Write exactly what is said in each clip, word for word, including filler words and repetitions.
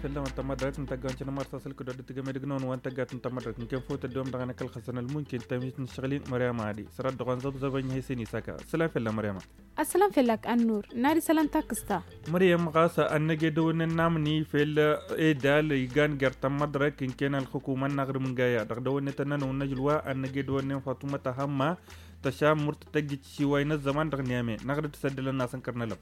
Fălla-wăn tămmădrăk n-tăgga n-cănămăr s-asăl kădodăt tăgămedăg n-wăn tăgga tămmădrăk n-kănfăw tăddoom dăɣ-anăkăl xăsăn ălmunkin tămit n-ašăɣlin măryama adi sărat dăɣ-wăn zăbzăbăñ hesini săka sălam fălla măryama. Ăssalam făllak ănnur n-ad-isălam takǝsta. Măryam ɣas ănnăge dăwănnen n-amni fel edal igan găr tămmădrăk n-ken ălxukumăn n-aɣrǝm n-gaya dăɣ-dăwănne tănnănăw n-ajǝlwa ănnăge dăwănnen fatumăt ahămma tăšam murtăt ăjjǝt šiway n-ăzzăman dăɣ-niyame n-aɣrǝd s-ăddălăn n-asăn kăr n-alăb.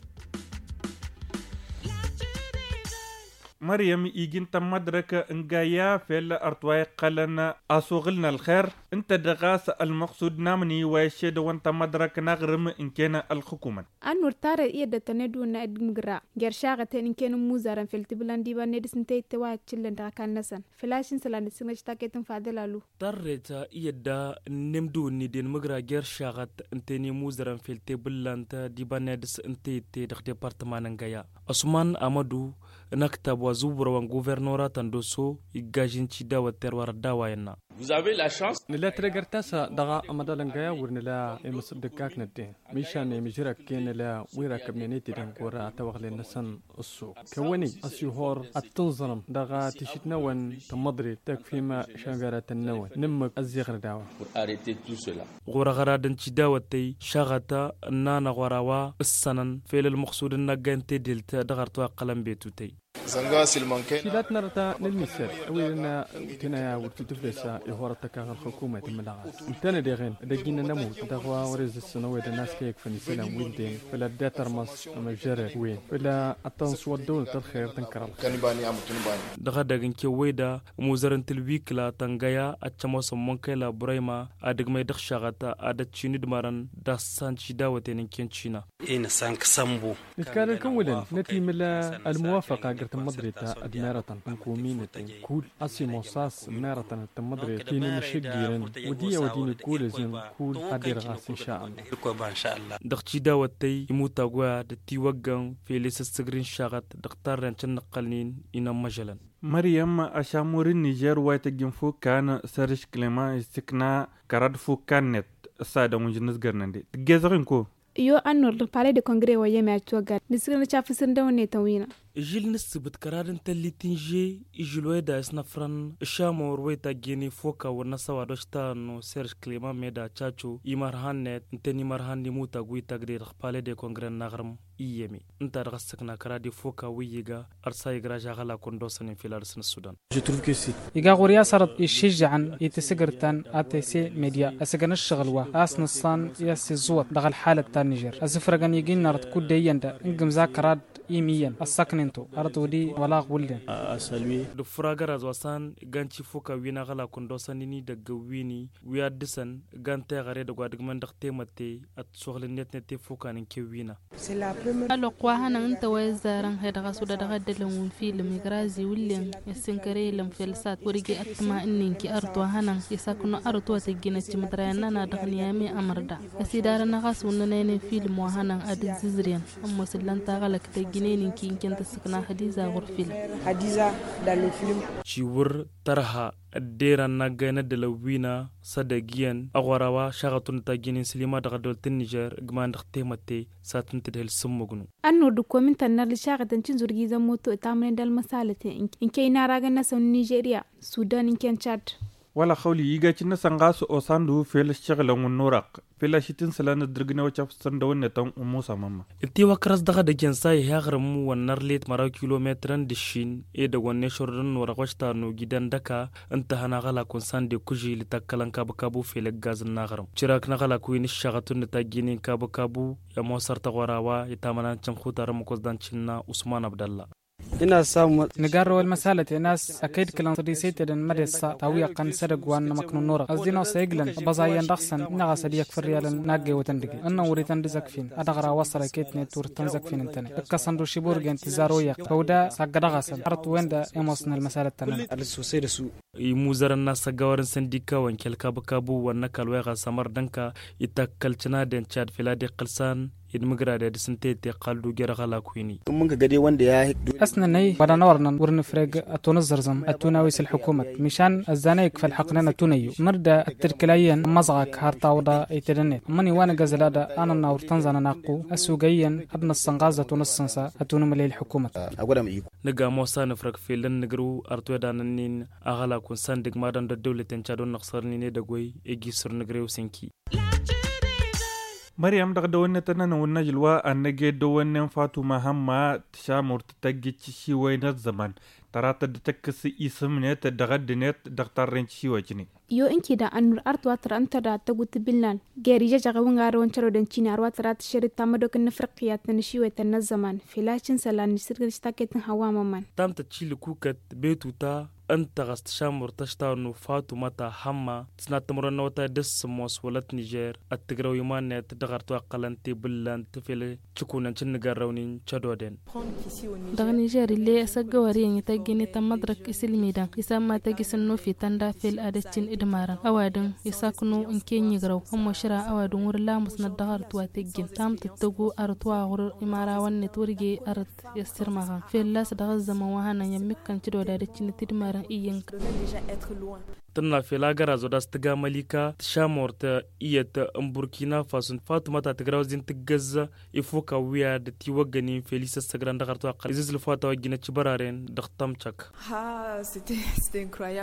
Măryam iji n-tămmădrăk n-gaya fel ărtwa iqqălăn asuɣǝl n-ălxer ǝnta dăɣ-as ălmăqsud n-amni wa iššedăwăn tămmădrăk n-aɣrǝm n-ken ălxukumăn. Ănnur tarrăt i-ăddătăn edăwănna ed mǝgra jer-šaɣăten n-ken n-imuzărăn fel tibǝllan d-iba n-edǝs n-teyǝtte wa ăččǝllăn dăɣ-ăkall-năsăn făl-ašǝn isălan d-sǝnɣăš takăyt n-fadăl alu. Tarrăt i-ădda n-imdǝwǝnni d-inmǝgra jer-šaɣăt n-ten imuzărăn fel tebǝllant d-iba n-edǝs n-teyǝtte dăɣ-departăma n-ăngăya ăsman amădu n-ăktab wa zǝwwărăwăn guvernoratăn d-oso iggajin cidawăt terwar ădda wa innă. Nǝla tregăr ta-s dăɣ-amăḍal n-găya wăr nǝla imǝs dd-ǝkkak n-ăddin mišan imǝžrăk-en nǝla wi răkkăbnen itidăn ɣur-tawăɣlen-năsăn. Ăssuɣ kăwăn-ij ăsihor ad-tǝnẓărăm dăɣ-tišit-năwăn tămmăḍrit tăkfim šănveratăn-năwăn n-ǝmmǝk ăzziɣrǝd a-wa. Ɣur-aɣrad n-tidawăt-tăy šaɣăt ǝnnan aɣwăr a-wa ǝssănăn fel ălmăqsud n-năgga n-tedelt dăɣ-arăt wa ǝqqălăn betutăy. Tilat n-arăt n-ălmisăl ăwedăn tinăya wăr t-tǝfles ihorăt tăkaɣ ălxukumăy tǝmmǝlăɣ-as ǝntănăd iɣen d-ăjjin n-ămut dăɣ-wa wăr-izǝssǝn ăwedăn a-s kăy-ǝkfăn isălan wi ǝlden făll-ad-dd-itărmăs ămăžžărăd wen făll-ad-tăn-s wăr dd-ăwǝnăt ălxer tǝnkăr ălxer. Dăɣ-edăgg n-kewwăy da ămuzărăn tǝlwikla tăngăya ad-t-ămoosăn munkăyla burăyma ad-ǝgmăy dăɣ-šaɣăt ad-ătšin d-mărăn d-assan tidawăten n-ken cina. Inǝssan kǝsănbu. Nǝkkan ălkăwǝlăn nătimǝl ălmuwafăqa găr tǝmmăḍrit d-merătăn n-kuminăten kull a-s imoos a-s merătăn d-tǝmmăḍrit kinǝmǝšǝggirăn wădiyăwăt inǝkkulăzăn kull ad-dd-irɣas n-šalla. Dăɣ-tidawăt-tăy imutag wa d-tiwăggăn fel i-sǝssǝgri n-šaɣăt dăɣ-tarren cǝnnăqqălnin inămmăžălăn. Măryăm ašamur n-nižer wa ităjj n-fukkan sărǝš klema issǝkna kărad fukkan-net. Ǝssadăn wi n-žǝnnǝzgărnăn de tǝggezăɣ-in ko. Iyo ănnur dăɣ-palais de kongre wa iyyăm i-ad-tiwăggan nǝssǝgnăt cafǝsǝr n-dăwănnetăn wi n-a. Ižil n-ǝssǝbǝt kăraḍ n-tăllit n-iže ižil wa eda isnăfrăn ǝšamor wa itajjăyăn ifoka wăr n-ăsăwad wa ăštănnu serž kliman meda caco imărhan-net ǝntăn imărhan n-imutag wi itagdăy dăɣ-palais de kongre n-aɣrǝm iyyăm-i ǝnta dăɣ-ăssăkna kăraḍ ifoka wi iga ărsa igraž aɣălak wa n-dosăn infilal s-n-ăssudan. Iga ɣur-i a-s arăt iššǝžžăɣăn i-tisǝgǝrtăn atc media ăsǝgăn ǝššăɣǝl wa a-s nǝṣṣan i-ăssiẓẓuwăt dăɣ-ălḥalăt ta n-nižer ăzǝfrăgăn igi n-arăt kud-de iyyăn da n-gǝmza kăraḍ imiyyăn ăssaknen-to arăt wăr-di wăla aɣwǝllen. Dăɣ-făr agăraz wa s-an igan tifuka wi n-aɣălak wa n-dosăn inidăgg wi-ni wi ad-dăr-săn igan teɣăre dăgg-wa dăgg-măn dăɣ-temătte ătsuɣǝl-net-net tefuka n-inke wi n-a. Ălwăqq wa hănăɣ ǝnta wa izzarăn hed ɣas wăla dăɣ-ăddălăn wi n-film igrazi wǝllen isǝnkăre ilăm felsat wăr-ija ăttăma ǝnnin-ki arăt wa hănăɣ isaknu arăt wa tăjjinăt timǝḍrayăn-nănăɣ dăɣ-niyame ămăr da. Ăsidarăn-năɣ a-s wăr nănăynen film wa hănăɣ ad-ǝzzǝzrǝyăn ămoos ǝllan taɣălăkt ăjjǝnen-in-ki n-kăyăn tăssǝkna hădiza ɣur-film. Hădiza. Dal-film. Ciwǝr tărha ădderăn n-aggay n-ăddălăn wi n-a s-edăgg iyyăn ăɣora wa šaɣăt wăr nǝtajjǝnen sǝlima dăɣ-ăddăwăl ta n-nižer ǝgman dăɣ-temătte s-ad-tǝntǝdhǝl s-ǝmmǝgnu. Ănnur d-ǝkkomi n-tănnăr d-ašaɣăt n-tinzurgizăn moto ǝtamnen d-ălmăsalăten n-kăy-inaragăn-năsăn n-nižeriya sudan n-kăy-n-čad. Wăla xăwli igacǝn-năsăn ɣas osandu fel ǝššăɣǝlăn wa n-orăɣ fel ašitǝn isălan ǝddǝrgǝnew ăcafsăn dăw-net ămmusa mămma. Ǝnta i-wa kărăs dăɣ-edăgg i-ănsa iha aɣrǝm wa n-arlet măraw kilometărăn d-ǝššin edăgg wa n-ešorădăn n-orăɣ wa ăštanu gidăn dăka ǝnta hăn aɣălak wa n-sande kužil itakkălăn kabăkabu fel ǝggaz n-aɣrǝm cǝrak n-aɣălak wi n-ǝššaɣăt wa n-nǝtajjǝnen kabăkabu i-ămoosăr taɣora wa itamănan cǝnxutar ămmăkos d-ancǝnna usman abdălla. Nǝgarrăw ălmăsalăten a-s ăkăy-dd-kǝlăn sădisăy tedăn mădessa ta wi ăqqăn s-edăgg wa n-amăknu n-orăɣ ăzzin-osa iglăn ăbăẓa iyyăn dăɣ-săn ǝnneɣ a-s ad-iyyăkf ărriyalăn n-aggăywătăn dăgg-i ǝnnăn wăr-ităn d-izăkfin ad-dăɣ-ra wăsăr ăkăyt-net wăr t-tăn-zăkfin ǝntăne ǝkkăsăn d-ušibur gen tǝzzar oyyăq făw da s-aggădăɣ-asăn hărăt-wen-dăɣ i-ămoosăn ălmăsalăt-tăn-nănăɣ. Imuzărăn n-asăggawăr n-săndikawăn kăl-kabăkabu wa n-ăkall wa iɣas ămăr d-ănka itakkăl cǝnaden cad fel ad-iqqǝl s-an. Ed mǝgrad i-ad-dăr-s ǝnta i-dd-iqqal d-ujer aɣălak wi-ni. Ăsnănăy wa dăɣ-năwărnăn wăr nǝfreg ătunǝzzărzăm ătunawis ălḥukumăt mišan ăzzanăy ikfa ălḥăqnen ătunăyyu măr d-ăttǝlkǝla iyyăn ămmăẓɣak har tawǝḍa itedănet ămmăni wa nǝgăzăl ad-anănna wăr tăn-zanăn aqqu ăsugăy iyyăn ad-năssănɣaz ătunǝssǝnsa ătunǝmǝlăy ălḥukumăt. Nǝga ămoos a nǝfrăg fel ănnǝgrǝw ărtweḍanăn-in aɣălak wa n-sandǝg madăn d-ăddăwlăten cadon n-ăɣsărnen edăgg-wey iji săr nǝgrăy osǝnki. Măryăm dăɣ-dăwănnet ănnănăwăn n-ažǝl wa ănnăged dăwănnen fatuma hămma tǝšamurt tăjjǝj tǝšiwăy n-ăzzăman tărat dd-tăkkǝs isǝmnet dăɣ-ăddǝnet dăɣ-tarren tǝšiwăy-tǝnen. Yo ǝnkǝy da ănnur arăt wa tăra ǝnta da tăgutǝbǝlnan geri jăjăɣ i-wǝngarăwăn cărodăn cini arwa tăra tǝššăr d-tamădok n-inǝfrăqqiyat n-ašiwet ănnăzzăman fel a-s ǝnsălan n-isǝrgǝl s-taket n-hăwa măman. Tamtăt šilǝkukăt betuta ǝnta ɣas tǝšamurt ăštawănnu fatuma ta hămma tǝsnat timǝrwen n-awătay d-ǝssǝmmos wălăt nižer ăttǝgrăw iman-net dăɣ-arăt wa ǝqqălăn tebǝllant fel cǝkunăn cǝnnǝgărrăwnen cădoden. Dăɣ-nižer ill'-e asăggăwăr iyyăn ităjjăn i-tămmăḍrăk isǝlmidăn isămma tăjjǝs ănnufităn da fel ad-ăccin d-imarăn ăwadǝm isaknu n-kenyigrăw ămmošra ăwadǝm wăr-lamǝsnăt dăɣ-arăt wa tăjjǝn tamtăt tăggu arăt wa ɣur-imarawăn-net wăr je arăt i-ăssirmăɣăn fălla-s dăɣ-ăzzăman wa hanăn i-ămmikkăn cǝdod ad-ăccǝnăt d-imarăn iyyăn. Tǝnna fel agărazo d-a-s tǝga mălika tǝšamort iyyăt n-burkina faso fatuma ta tǝgrawăz-in tǝggăz ifuk awǝyad d-tiwăggănin fel isăssăgran dăɣ-arăt wa ăqqăl izǝzlǝf wa tawăjjinăt cibăraren dăɣ-tămcăk.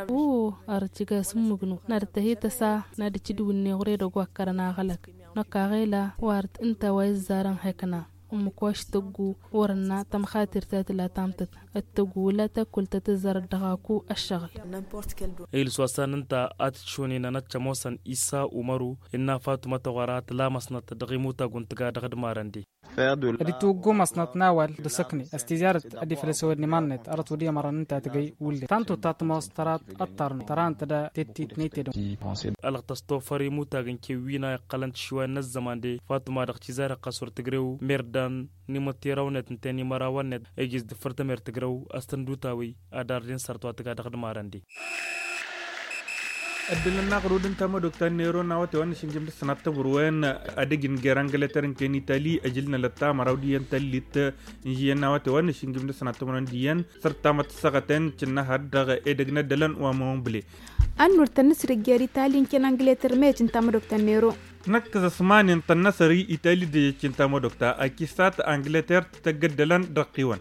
O arăt cǝga s-ǝmmǝgnu n-ad-tăhităsa n-ad-ǝcǝdǝw ǝnneɣ ɣur-edăgg wa ǝkkărăn aɣălăk năkk aɣela wa arăt ǝnta wa izzarăn hekna ǝmmǝk wa š-tăggu wăr-ănna tămxatir ta tǝla tamtăt ăttăggu wăla takkul ta tǝzzărăt dăɣ-aku ăššăɣǝl. Ilǝs wa s-an ǝnta a tǝtšunen anăt cămoosăn isa umăru innă fatuma tăɣora tǝlamăsnăt dăɣ-imutag wa n-tǝga dăɣ-dd-marăn de. Ad-itwǝggumăsnăt n-awal d-asăkne a-s tizarăt ad-iflăs ăwădne iman-net arăt wăr dd-imărăn ǝnta tǝgăy wǝllen tantut ta tămoos tărat ăṭṭarnăt tăra ǝnta da tettitnăy tedăw. Ălɣăt ăstofăr imutagăn kewwina iqqălăn tišiway n-ăzzăman de fatuma dăɣ-tizarăt ɣas wăr tǝgrew merdan n-imǝttirawnet ǝnta i-inimărawăn-net ejăs d-ǝffăr tămer tǝgrew a-s tăn-dd-utawi ad-arden săr-t wa tǝga dăɣ-dd-marăn de. Ăddălăn n-aɣrud n-tamădok ta n-nero n-awăte wa n-ašǝnjǝm d-ăssănat tămărwen ad-ăj n-jer angleter n-ken itali ăjǝl n-alăt tamăraw d-iyyăn tăllit n-ižǝyyăn n-awăte wa n-ašǝnjǝm d-ăssănat tămărwen d-iyyăn săr-tamăt ǝssăɣăten cǝnnăhăr dăɣ-edăgg n-ăddălăn wa măwăn bǝle. Ănnur tăn-nǝsrǝj jer itali n-ken angleter meyăt n-tamădok ta n-nero. Năkk s-ăsmanen tănnăsăr itali d-ejăcc n-tamădok ta akisat angleter tăgg-ăddălăn dăɣ-qiwăn.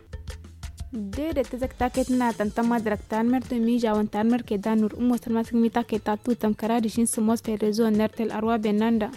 Dedet tǝzăk taket n-ad-tăn-tămăḍrăk tanmărt n-mižawăn tanmărt ked anur ǝmmos tăn-masǝk mi taket ta tutăm kăra d-ašin sǝmmos fel rezo n-ertel arwa bennanda.